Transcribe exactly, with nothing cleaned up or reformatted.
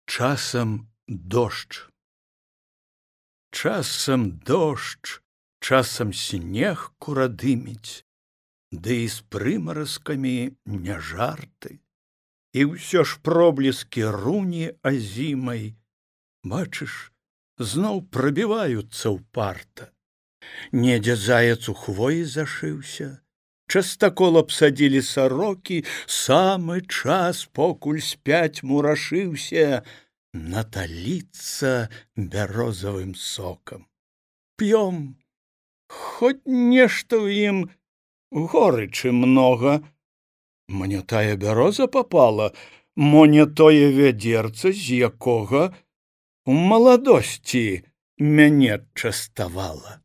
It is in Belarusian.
Часам дождж. Часам дождж, часам снег курадыміць, ды і з прымаразкамі не жарты. І ўсё ж пробліскі руні азімай, бачыш, зноў прабіваюцца ўпарта. Недзе заяц у хвоі зашыўся, частакол абсадзілі сарокі, самы час, покуль спяць мурашыўся, наталіцца бярозавым сокам. П'ём, хоць нешта ў ім горычы многа. Мне тая бяроза папала, мо не тое вядзерца, з якога у маладосці мяне частавала.